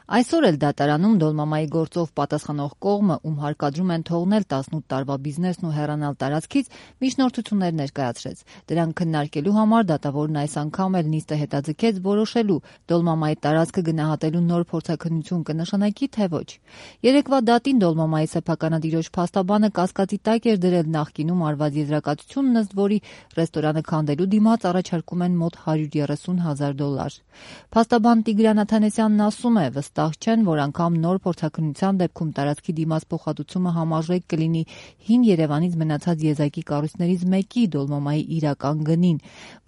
Այսօր էլ դատարանում Դոլմամայի գործով պատասխանող կողմը, ում հարկադրում են թողնել 18 տարվա բիզնեսն ու հեռանալ տարածքից, միջնորդություններ ներկայացրեց։ Դրանք քննարկելու համար դատավորն այս անգամ էլ նիստը հետաձգեց որոշելու Դոլմամայի տարածքը գնահատելու նոր փորձաքննություն կնշանակի, թե ոչ։ Երեկվա դատին Դոլմամայի սեփականատիրոջ փաստաբանը կասկածի տակ էր դրել նախկինում արված եզրակացությունն, ըստ որի ռեստորանը քանդելու դիմաց առաջարկում են մոտ $130,000։ Փաստաբան Տիգրան Աթանեսյանն ասում է, վստահ չեն, որ անգամ նոր փորձաքննության դեպքում տարածքի դիմաց փոխհատուցումը համարժեք կլինի հին Երևանից մնացած եզակի կառույցներից մեկի Դոլմամայի իրական գնին,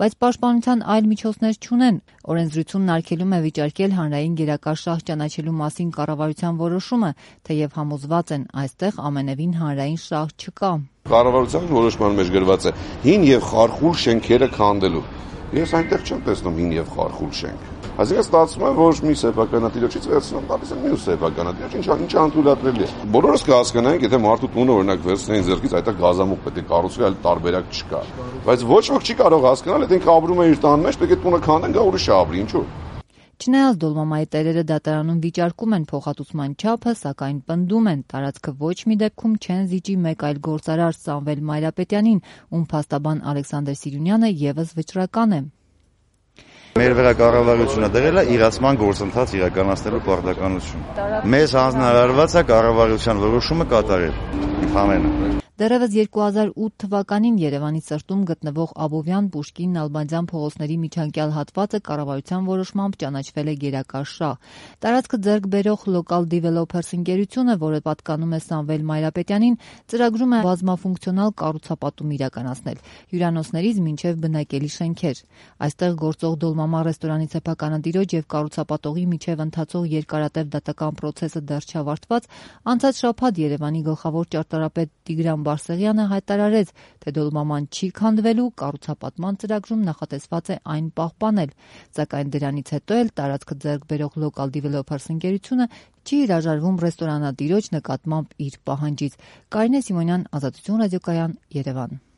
բայց պաշտպանության այլ միջոցներ չունեն։ Օրենսդրությունն արգելում է վիճարկել հանրային գերակա շահ ճանաչելու մասին կառավարության որոշումը, թեև համոզված են, այստեղ ամենևին հանրային շահ չկա։ Կառավարության որոշման մեջ գրված է հին եւ խարխուլ շենքերը քանդելու։ Ես այնտեղ չեմ տեսնում հին եւ խարխուլ շենք։ Այսինքն ստացվում է, որ մի սեփականատիրոջից վերցնում տալիս են մյուս սեփականատիրոջ, ինչ անդրադառնալի է։ Բոլորս կհասկանանք, եթե մարդու տունը օրինակ վերցնեին ձեռքից, այդտեղ գազամուղ պետք է կառուցվի, այլ տարբերակ չկա։ Բայց ոչ ոք չի կարող հասկանալ, եթե ինքը ապրում է իր տան մեջ, պետք է տունը քանդեն, գա ուրիշը ապրի, ինչու՞։ Չնայած Դոլմամայի տերերը դատարանում վիճարկում են փոխհատուցման չափը, սակայն պնդում են, տարածքը ոչ մի դեպքում չեն զիջի մեկ այլ գործարար Սամվել Մայրապետյանին, ում փաստաբան Ալեքսանդր Սիրունյանը ևս վճռական է։ Մեր վրա կառավարությունը դրել է իրացման գործընթաց իրականացնելու պարտականություն։ Մեզ հանձնարարված է կառավարության որոշումը կատարել։ Ընդհանրապես Դեռևս 2008 թվականին Երևանի սրտում գտնվող Աբովյան, Պուշկին, Նալբանդյան փողոցների միջանկյալ հատվածը կառավարության որոշմամբ ճանաչվել է գերակա շահ։ Տարածքը ձեռք բերող Local Developers ընկերությունը, որը պատկանում է Սամվել Մայրապետյանին, ծրագրում է բազմաֆունկցիոնալ կառուցապատում իրականացնել՝ հյուրանոցներից մինչև բնակելի շենքեր։ Այստեղ գործող Դոլմամա ռեստորանի սեփականատիրոջ եւ կառուցապատողի միջև ընթացող երկարատև դատական պրոցեսը դեռ չավարտված, անցած շաբաթ Երևանի գլխավոր ճարտարապետ Տիգրան Բարսեղյանը հայտարարեց, թե Դոլմաման չի քանդվելու, կառուցապատման ծրագրում նախատեսված է այն պահպանել, սակայն դրանից հետո էլ տարածքը ձեռք բերող Local Developers ընկերությունը չի հրաժարվում ռեստորանատիրոջ նկատմամբ իր պահանջից։ Կարինե Սիմոնյան, Ազատություն ռադիոկայան, Երևան։